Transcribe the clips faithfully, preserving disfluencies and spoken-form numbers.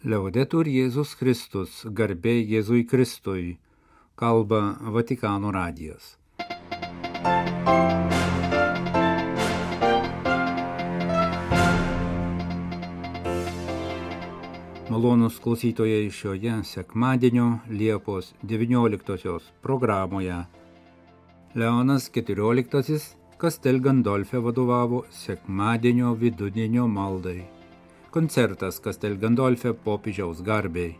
Laudetur Jėzus Kristus, garbė Jėzui Kristui, kalba Vatikano radijas. Malonūs klausytojai, šioje sekmadienio Liepos devynioliktosios programoje Leonas keturioliktasis Castel Gandolfe vadovavo sekmadienio vidudienio maldai. Koncertas Castel Gandolfe popiežiaus garbei.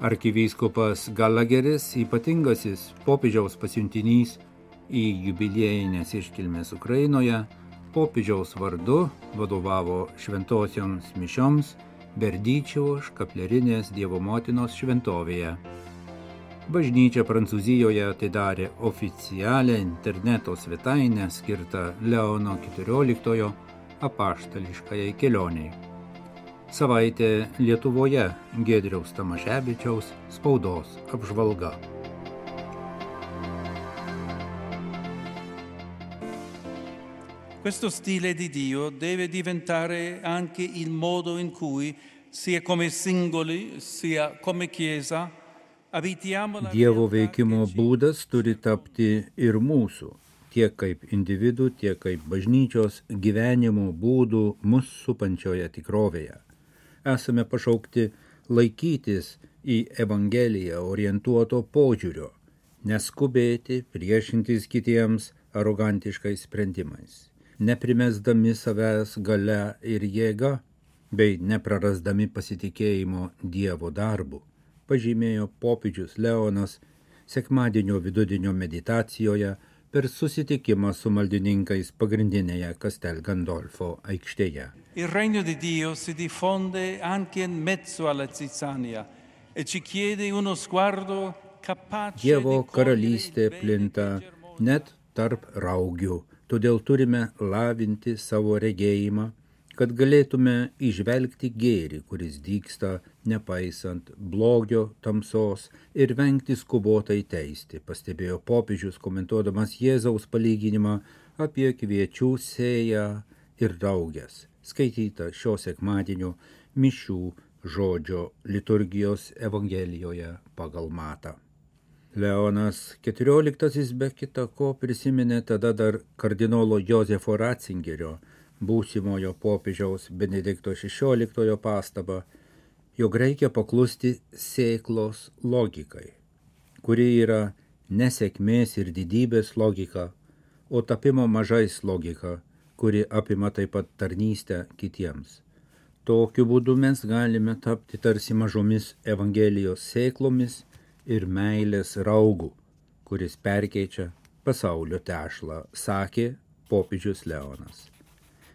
Arkivyskupas Gallagheris, ypatingasis popiežiaus pasiuntinys į jubiliejinės iškilmės Ukrainoje, popiežiaus vardu vadovavo šventosioms mišioms Berdyčiaus škaplerinės Dievo motinos šventovėje. Bažnyčia Prancūzijoje atidarė oficialią interneto svetainę skirtą Leono keturioliktojo apaštališkajai kelioniai. Savaitė Lietuvoje Giedriaus Tamaševičiaus spaudos apžvalga. Questo stile di Dio deve diventare anche il modo in cui, sia come singoli, sia come Chiesa, abitiamo la Dievo veikimo būdas turi tapti ir mūsų, tiek kaip individų, tiek kaip bažnyčios gyvenimo būdų mus supančioje tikrovėje. Esame pašaukti laikytis į Evangeliją orientuoto požiūrio, neskubėti priešintis kitiems arogantiškais sprendimais, neprimesdami savęs galia ir jėga, bei neprarasdami pasitikėjimo Dievo darbu, pažymėjo popiežius Leonas sekmadienio vidudienio meditacijoje per susitikimą su maldininkais pagrindinėje Castel Gandolfo aikštėje. Il regno di Dio si diffonde anche in mezzo alla zizzania e ci chiede uno sguardo capace Dievo di karalystė cogliere il plinta bene che germoglia. net tarp raugių, todėl turime lavinti savo regėjimą, kad galėtume įžvelgti gėrį, kuris dygsta nepaisant blogio, tamsos ir vengti skubotai teisti, pastebėjo popiežius komentuodamas Jėzaus palyginimą apie kviečių sėją ir rauges, skaityta šio sekmadienio mišių žodžio liturgijos Evangelijoje pagal Matą. Leonas keturioliktasis be kita ko prisiminė tada dar kardinolo Jozefo Ratzingerio, būsimojo popiežiaus Benedikto šešioliktojo pastabą, jog reikia paklusti sėklos logikai, kuri yra nesėkmės ir didybės logika, o tapimo mažais logika, kuri apima taip pat tarnystę kitiems. Tokiu būdu mes galime tapti tarsi mažomis Evangelijos sėklomis ir meilės raugų, kuris perkeičia pasaulio tešlą, sakė popiežius Leonas.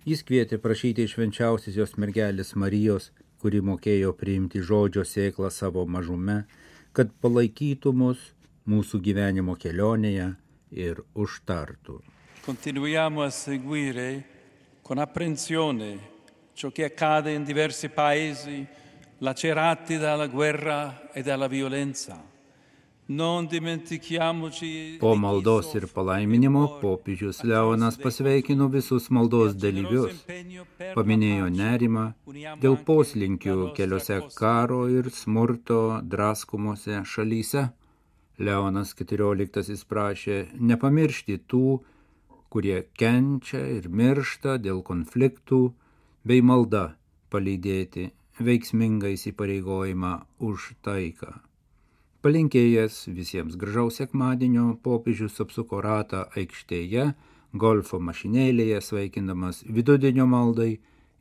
Jis kvietė prašyti švenčiausiosios mergelės Marijos, kuri mokėjo priimti žodžio sėklą savo mažume, kad palaikytų mus mūsų gyvenimo kelionėje ir užtartų. Continuiamo a seguire con apprensione ciò che accade in diversi paesi lacerati dalla guerra e dalla violenza. Non dimentichiamoci. Po maldos ir palaiminimo popiežius Leonas pasveikino visus maldos dalyvius, paminėjo nerimą dėl poslinkių keliose karo ir smurto draskomose šalyse. Leonas keturioliktasis prašė nepamiršti tų, kurie kenčia ir miršta dėl konfliktų, bei malda palydėti veiksmingą įsipareigojimą už taiką. Palinkėjęs visiems gražaus sekmadienio, popiežius apsuko ratą aikštėje, golfo mašinėlėje, sveikindamas vidudienio maldai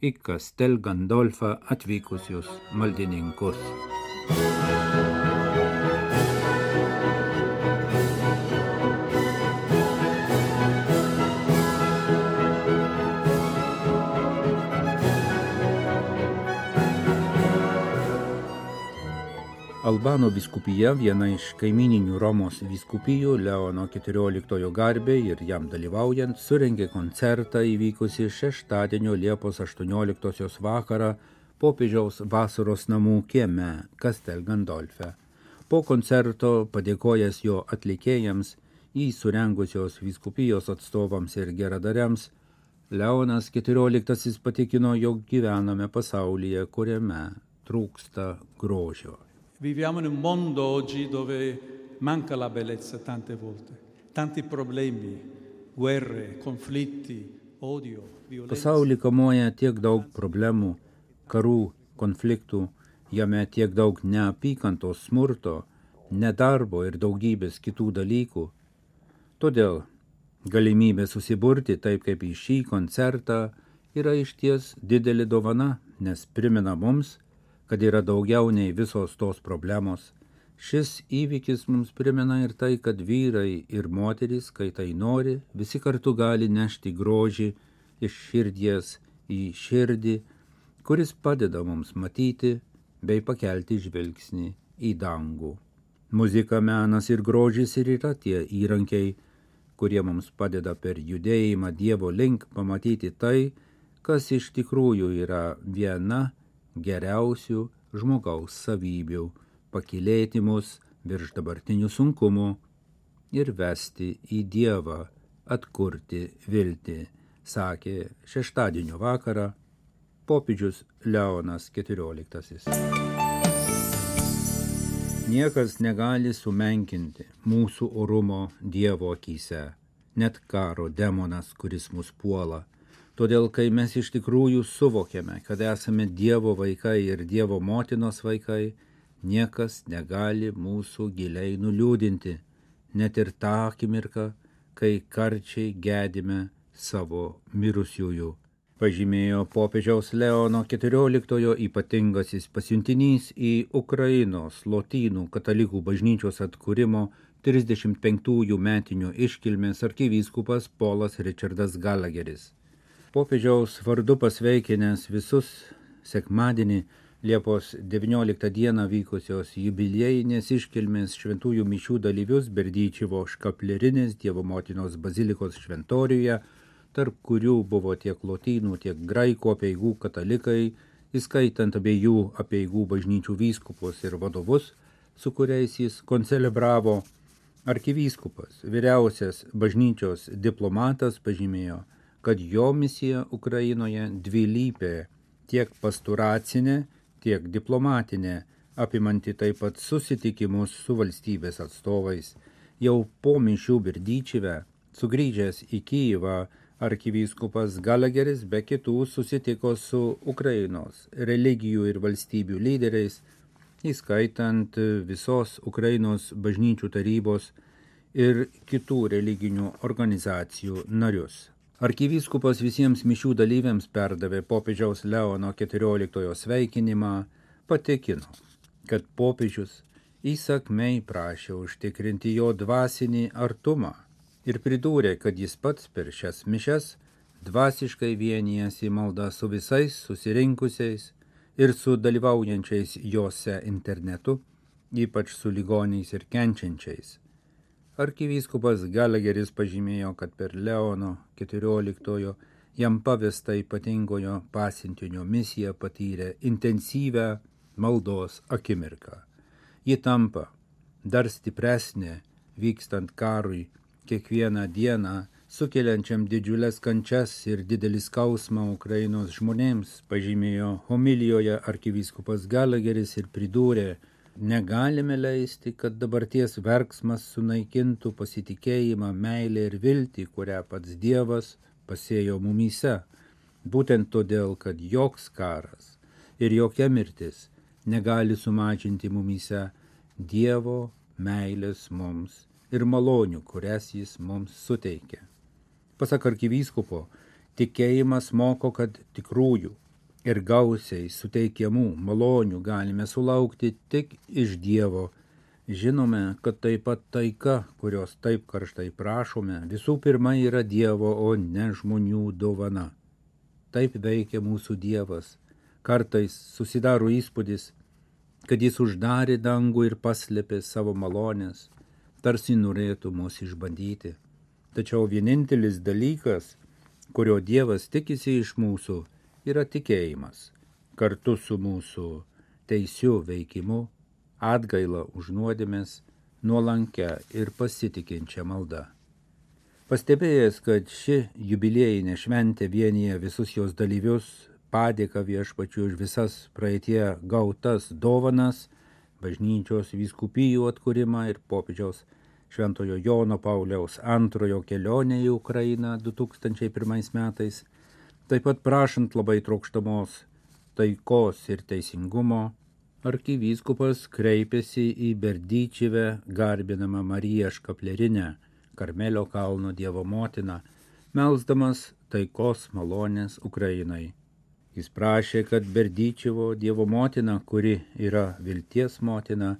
į Castel Gandolfą atvykusius maldininkus. Albano vyskupija, viena iš kaimininių Romos vyskupijų, Leono keturioliktojo garbei ir jam dalyvaujant, surengė koncertą įvykusį šeštadienio Liepos aštuonioliktosios vakarą popiežiaus vasaros namų kieme Castel Gandolfe. Po koncerto, padėkojęs jo atlikėjams, jį surengusios vyskupijos atstovams ir geradariams, Leonas keturioliktasis patikino, jog gyvename pasaulyje, kuriame trūksta grožio. Viviamo in un mondo oggi dove manca la bellezza tante volte, tanti problemi, guerre, konfliktai, odio, violencija. Pasaulį kamuoja tiek daug problemų, karų, konfliktų, jame tiek daug neapykantos, smurto, nedarbo ir daugybės kitų dalykų. Todėl galimybė susiburti taip kaip į šį koncertą yra išties didelė dovana, nes primena mums, kad yra daugiau nei visos tos problemos. Šis įvykis mums primena ir tai, kad vyrai ir moterys, kai tai nori, visi kartu gali nešti grožį iš širdies į širdį, kuris padeda mums matyti bei pakelti žvilgsnį į dangų. Muzika, menas ir grožis ir yra tie įrankiai, kurie mums padeda per judėjimą Dievo link pamatyti tai, kas iš tikrųjų yra viena geriausių žmogaus savybių, pakylėti mus virš dabartinių sunkumų ir vesti į Dievą, atkurti viltį, sakė šeštadienio vakarą popiežius Leonas keturioliktasis. Niekas negali sumenkinti mūsų orumo Dievo akyse, net karo demonas, kuris mus puola. Todėl, kai mes iš tikrųjų suvokiame, kad esame Dievo vaikai ir Dievo motinos vaikai, niekas negali mūsų giliai nuliūdinti, net ir tą akimirką, kai karčiai gedime savo mirusiųjų. Pažymėjo popiežiaus Leono keturioliktojo ypatingasis pasiuntinys į Ukrainos lotynų katalikų bažnyčios atkūrimo trisdešimt penktųjų metinių iškilmės arkivyskupas Polas Richardas Gallagheris. Popiežiaus vardu pasveikinęs visus sekmadienį Liepos devynioliktą dieną vykusios jubiliejinės iškilmės šventųjų mišių dalyvius Berdyčivo škaplerinės Dievo motinos bazilikos šventoriuje, tarp kurių buvo tiek lotynų, tiek graikų apeigų katalikai, įskaitant abiejų apeigų bažnyčių vyskupus ir vadovus, su kuriais jis koncelebravo. Arkivyskupas, vyriausias bažnyčios diplomatas, pažymėjo, kad jo misija Ukrainoje dvilypė, tiek pasturacinė, tiek diplomatinė, apimanti taip pat susitikimus su valstybės atstovais. Jau po mišių Berdyčive, sugrįžęs į Kyjivą, arkivyskupas Gallagheris be kitų susitiko su Ukrainos religijų ir valstybių lyderiais, įskaitant visos Ukrainos bažnyčių tarybos ir kitų religinių organizacijų narius. Arkivyskupas visiems mišių dalyviams perdavė popiežiaus Leono keturioliktojo sveikinimą, patikino, kad popiežius įsakmiai prašė užtikrinti jo dvasinį artumą ir pridūrė, kad jis pats per šias mišias dvasiškai vienijasi malda su visais susirinkusiais ir su dalyvaujančiais jose internetu, ypač su ligoniais ir kenčiančiais. Arkivyskupas Gallagheris pažymėjo, kad per Leono keturioliktojo jam pavesta ypatingojo pasiuntinio misiją patyrė intensyvę maldos akimirką. Ji tampa dar stipresnė vykstant karui, kiekvieną dieną sukeliančiam didžiulės kančias ir didelį skausmą Ukrainos žmonėms, pažymėjo homilijoje arkivyskupas Gallagheris ir pridūrė, negalime leisti, kad dabarties verksmas sunaikintų pasitikėjimą, meilę ir viltį, kurią pats Dievas pasėjo mumyse. Būtent todėl, kad joks karas ir jokia mirtis negali sumažinti mumyse Dievo meilės mums ir malonių, kurias jis mums suteikia. Pasak arkivyskupo, tikėjimas moko, kad tikrųjų ir gausiai suteikiamų malonių galime sulaukti tik iš Dievo. Žinome, kad taip pat taika, kurios taip karštai prašome, visų pirma yra Dievo, o ne žmonių dovana. Taip veikia mūsų Dievas. Kartais susidaro įspūdis, kad jis uždarė dangų ir paslėpė savo malonės, tarsi norėtų mus išbandyti. Tačiau vienintelis dalykas, kurio Dievas tikisi iš mūsų, yra tikėjimas, kartu su mūsų teisiu veikimu, atgaila už nuodėmes, nuolankia ir pasitikinčia malda. Pastebėjęs, kad ši jubiliejinė šventė vienyje visus jos dalyvius, padėką Viešpačiui už visas praeitie gautas dovanas, bažnyčios vyskupijų atkūrimą ir popiežiaus Šventojo Jono Pauliaus antrojo kelionę į Ukrainą du tūkstančiai pirmais metais, taip pat prašant labai trokštamos taikos ir teisingumo, arkivyskupas kreipėsi į Berdyčivę garbinamą Mariją Škaplerinę, Karmelio kalno Dievo motiną, melsdamas taikos malonės Ukrainai. Jis prašė, kad Berdyčivo Dievo motina, kuri yra vilties motina,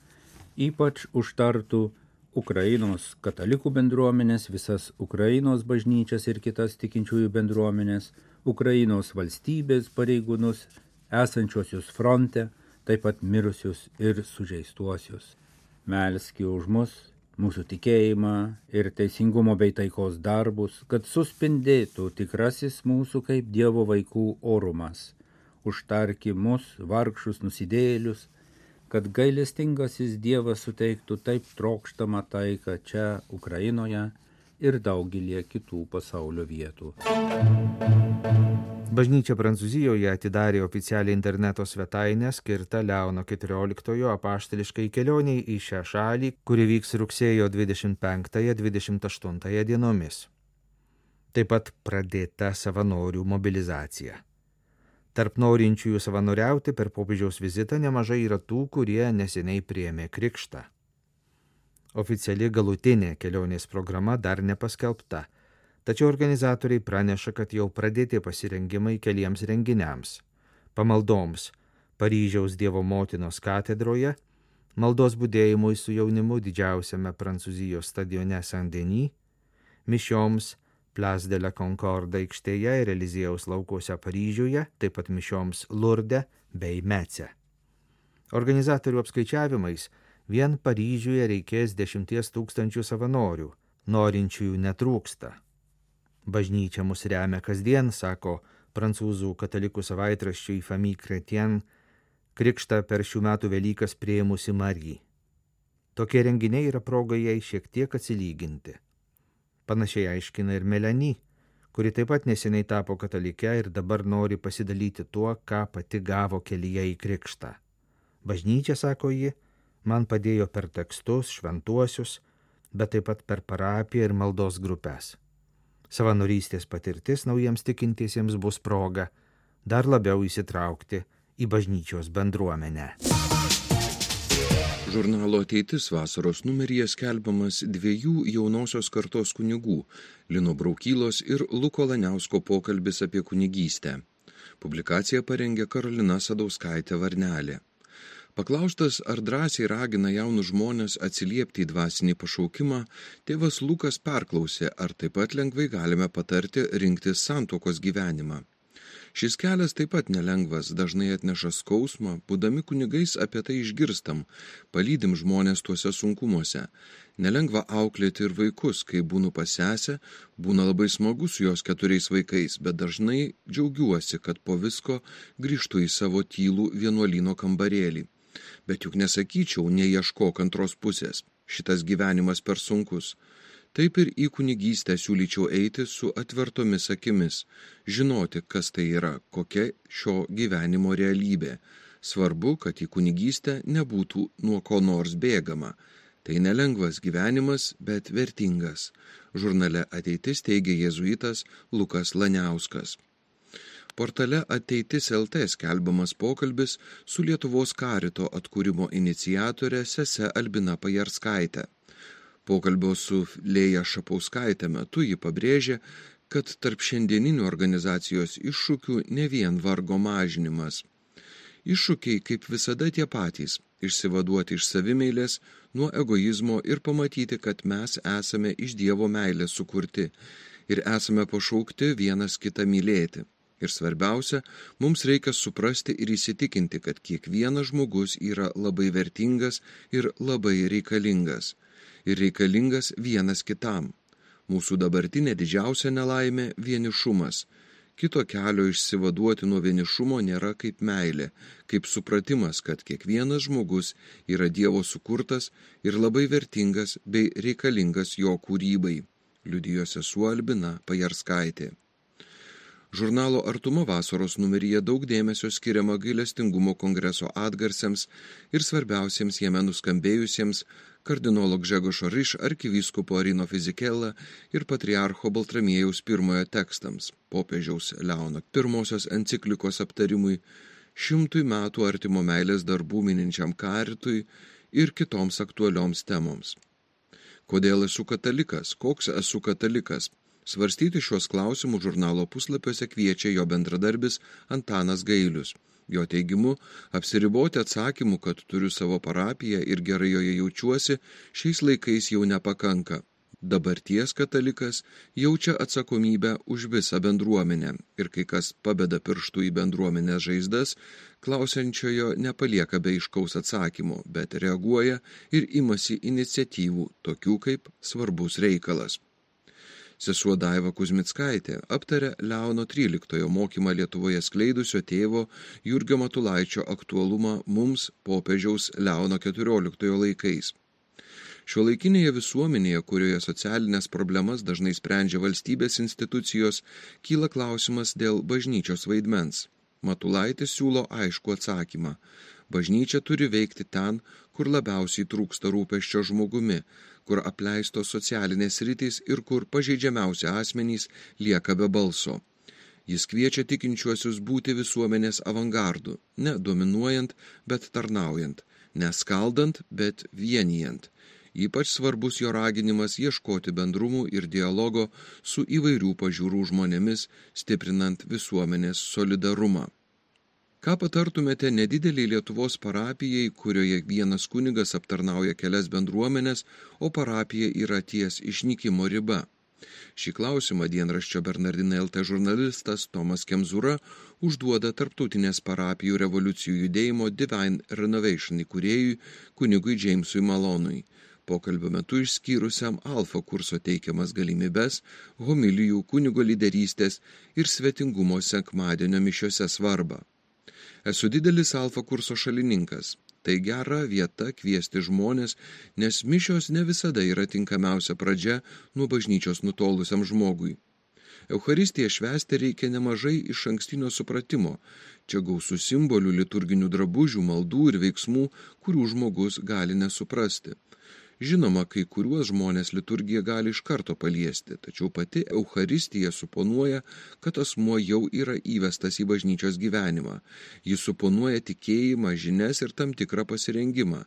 ypač užtartų Ukrainos katalikų bendruomenės, visas Ukrainos bažnyčias ir kitas tikinčiųjų bendruomenės, Ukrainos valstybės pareigūnus, esančiosius fronte, taip pat mirusius ir sužeistuosius. Melski už mus, mūsų tikėjimą ir teisingumo bei taikos darbus, kad suspindėtų tikrasis mūsų kaip Dievo vaikų orumas. Užtarki mus, vargšus nusidėjėlius, kad gailestingasis Dievas suteiktų taip trokštamą taiką čia Ukrainoje ir daugelį kitų pasaulio vietų. Bažnyčia Prancūzijoje atidarė oficialią interneto svetainę skirtą Leono keturioliktojo apaštališkai kelioniai į šią šalį, kuri vyks rugsėjo dvidešimt penktąją dvidešimt aštuntąją dienomis. Taip pat pradėta savanorių mobilizacija. Tarp norinčiųjų savanoriauti per popiežiaus vizitą nemažai yra tų, kurie neseniai priėmė krikštą. Oficiali galutinė kelionės programa dar nepaskelbta. Tačiau organizatoriai praneša, kad jau pradėti pasirengimai keliems renginiams – pamaldoms Paryžiaus Dievo motinos katedroje, maldos budėjimui su jaunimu didžiausiame Prancūzijos stadione Saint-Denis, mišioms Place de la Concorde aikštėje ir Eliziejaus laukuose Paryžiuje, taip pat mišioms Lurde bei Mece. Organizatorių apskaičiavimais vien Paryžiuje reikės dešimties tūkstančių savanorių, norinčiųjų netrūksta. Bažnyčia mus remia kasdien, sako prancūzų katalikų savaitraščiui Famille Chrétienne, krikštą per šių metų Velykas priėmusi Marija. Tokie renginiai yra proga jai šiek tiek atsilyginti. Panašiai aiškina ir Melanie, kuri taip pat neseniai tapo katalike ir dabar nori pasidalyti tuo, ką pati gavo kelyje į krikštą. Bažnyčia, sako ji, man padėjo per tekstus, šventuosius, bet taip pat per parapiją ir maldos grupės. Savanorystės patirtis naujiems tikintiesiems bus proga dar labiau įsitraukti į bažnyčios bendruomenę. Žurnalo Ateitis vasaros numeryje skelbiamas dviejų jaunosios kartos kunigų Lino Braukylos ir Luko Laniausko pokalbis apie kunigystę. Publikaciją parengė Karolina Sadauskaitė Varnelė. Paklaustas, ar drąsiai ragina jaunus žmonės atsiliepti į dvasinį pašaukimą, tėvas Lukas perklausė, ar taip pat lengvai galime patarti rinktis santuokos gyvenimą. Šis kelias taip pat nelengvas, dažnai atneša skausmą, būdami kunigais apie tai išgirstam, palydim žmonės tuose sunkumuose. Nelengva auklėti ir vaikus, kai būnu pas sesę, būna labai smagu su jos keturiais vaikais, bet dažnai džiaugiuosi, kad po visko grįžtu į savo tylų vienuolyno kambarėlį. Bet juk nesakyčiau, neieškok antros pusės, šitas gyvenimas per sunkus. Taip ir į kunigystę siūlyčiau eiti su atvertomis akimis, žinoti, kas tai yra, kokia šio gyvenimo realybė. Svarbu, kad į kunigystę nebūtų nuo ko nors bėgama. Tai nelengvas gyvenimas, bet vertingas. Žurnale Ateitis teigia jėzuitas Lukas Laniauskas. Portale Ateitis L T skelbiamas pokalbis su Lietuvos karito atkūrimo iniciatore sese Albina Pajarskaite. Pokalbio su Lėja Šapauskaite metu ji pabrėžė, kad tarp šiandieninių organizacijos iššūkių ne vien vargo mažinimas. Iššūkiai kaip visada tie patys – išsivaduoti iš savimeilės, nuo egoizmo ir pamatyti, kad mes esame iš Dievo meilės sukurti ir esame pašaukti vienas kitą mylėti. Ir svarbiausia, mums reikia suprasti ir įsitikinti, kad kiekvienas žmogus yra labai vertingas ir labai reikalingas. Ir reikalingas vienas kitam. Mūsų dabartinė didžiausia nelaimė – vienišumas. Kito kelio išsivaduoti nuo vienišumo nėra kaip meilė, kaip supratimas, kad kiekvienas žmogus yra Dievo sukurtas ir labai vertingas bei reikalingas jo kūrybai, liudijo sesuo Albina Pajarskaitė. Žurnalo Artuma vasaros numeryje daug dėmesio skiriama gailestingumo kongreso atgarsiams ir svarbiausiems jame nuskambėjusiems kardinolo Gžegožo Riš arkivyskupo Arino Fizikela ir patriarcho Baltramiejaus pirmojo tekstams, popiežiaus Leono pirmosios enciklikos aptarimui, šimtui metų artimo meilės darbų mininčiam karitui ir kitoms aktualioms temoms. Kodėl esu katalikas? Koks esu katalikas? Svarstyti šios klausimus žurnalo puslapiuose kviečia jo bendradarbis Antanas Gailius. Jo teigimu, apsiriboti atsakymu, kad turiu savo parapiją ir gerai joje jaučiuosi, šiais laikais jau nepakanka. Dabarties katalikas jaučia atsakomybę už visą bendruomenę ir kai kas pabeda pirštų į bendruomenės žaizdas, klausiančiojo nepalieka be aiškaus atsakymo, bet reaguoja ir imasi iniciatyvų, tokių kaip svarbus reikalas. Sesuo Daiva Kuzmickaitė aptarė Leono tryliktojo mokymą Lietuvoje skleidusio tėvo Jurgio Matulaičio aktualumą mums popiežiaus Leono keturioliktojo laikais. Šiuolaikinėje visuomenėje, kurioje socialinės problemas dažnai sprendžia valstybės institucijos, kyla klausimas dėl bažnyčios vaidmens. Matulaitis siūlo aiškų atsakymą. Bažnyčia turi veikti ten, kur labiausiai trūksta rūpesčio žmogumi, kur apleistos socialinės sritys ir kur pažeidžiamiausi asmenys lieka be balso. Jis kviečia tikinčiuosius būti visuomenės avangardu, ne dominuojant, bet tarnaujant, ne skaldant, bet vienijant. Ypač svarbus jo raginimas ieškoti bendrumų ir dialogo su įvairių pažiūrų žmonėmis, stiprinant visuomenės solidarumą. Ką patartumėte nedideliai Lietuvos parapijai, kurioje vienas kunigas aptarnauja kelias bendruomenės, o parapija yra ties išnykimo riba? Šį klausimą dienraščio Bernardinai L T žurnalistas Tomas Kemzūra užduoda tarptautinės parapijų revoliucijų judėjimo Divine Renovation įkūrėjui kunigui Jamesui Malonui, pokalbio metu išskyrusiam Alfa kurso teikiamas galimybes, homilijų, kunigo lyderystės ir svetingumo sekmadienio mišiose svarbą. Esu didelis Alfa kurso šalininkas. Tai gera vieta kviesti žmonės, nes mišios ne visada yra tinkamiausia pradžia nuo bažnyčios nutolusiam žmogui. Eucharistiją švęsti reikia nemažai iš ankstinio supratimo. Čia gausų simbolių, liturginių drabužių, maldų ir veiksmų, kurių žmogus gali nesuprasti. Žinoma, kai kuriuos žmonės liturgija gali iš karto paliesti, tačiau pati Eucharistija suponuoja, kad asmuo jau yra įvestas į bažnyčios gyvenimą. Jis suponuoja tikėjimą, žinias ir tam tikrą pasirengimą.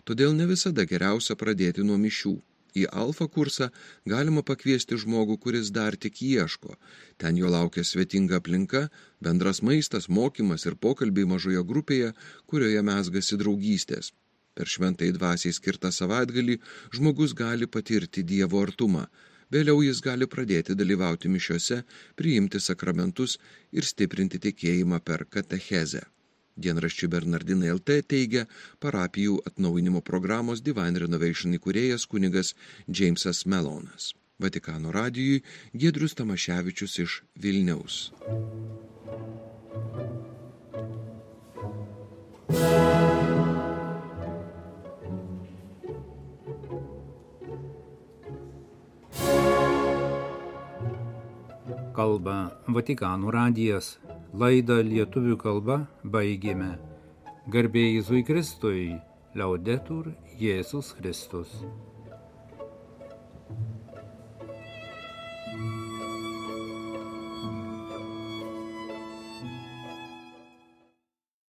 Todėl ne visada geriausia pradėti nuo mišių. Į Alfa kursą galima pakviesti žmogų, kuris dar tik ieško. Ten jo laukia svetinga aplinka, bendras maistas, mokymas ir pokalbiai mažoje grupėje, kurioje mezgasi draugystės. Per šventai dvasiai skirtą savaitgalį žmogus gali patirti Dievo artumą. Vėliau jis gali pradėti dalyvauti mišiose, priimti sakramentus ir stiprinti tikėjimą per katechezę. Dienraščiui Bernardinai L T teigia parapijų atnaujinimo programos Divine Renovation įkūrėjas kunigas Jamesas Melonas. Vatikano radijui Giedrius Tamaševičius iš Vilniaus. Kalba Vatikano radijas. Laidą lietuvių kalba baigėme. Garbė Jėzui Kristui, Laudetur Jėzus Kristus.